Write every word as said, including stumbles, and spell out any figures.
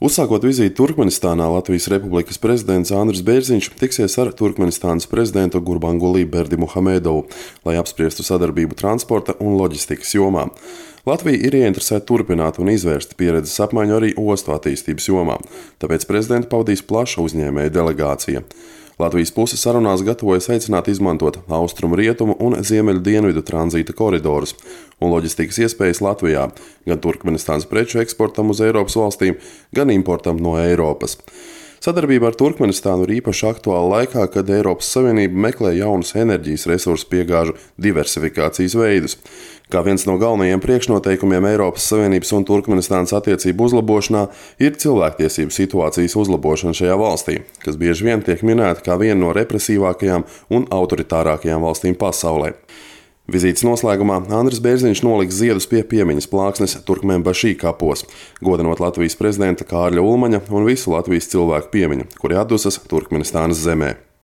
Uzsākot vizīti Turkmenistānā, Latvijas Republikas prezidents Andris Bērziņš tiksies ar Turkmenistānas prezidentu Gurbanguly Berdimuhamedovu, lai apspriestu sadarbību transporta un loģistikas jomā. Latvija ir ieinteresēta turpināt un izvērst pieredzes apmaiņu arī ostu attīstības jomā, tāpēc prezidentu pavadīs plaša uzņēmēju delegācija. Latvijas puse sarunās gatavojas aicināt izmantot austrumu rietumu un ziemeļu dienvidu tranzīta koridorus un loģistikas iespējas Latvijā, gan Turkmenistānas preču eksportam uz Eiropas valstīm, gan importam no Eiropas. Sadarbība ar Turkmenistānu ir īpaši aktuāla laikā, kad Eiropas Savienība meklē jaunus enerģijas resursu piegāžu diversifikācijas veidus. Kā viens no galvenajiem priekšnoteikumiem Eiropas Savienības un Turkmenistānas attiecību uzlabošanā ir cilvēktiesību situācijas uzlabošana šajā valstī, kas bieži vien tiek minēta kā viena no represīvākajām un autoritārākajām valstīm pasaulē. Vizītes noslēgumā Andris Bērziņš noliks ziedus pie piemiņas plāksnes Turkmenbašī kapos, godinot Latvijas prezidenta Kārļa Ulmaņa un visu Latvijas cilvēku piemiņu, kuri atdusas Turkmenistānas zemē.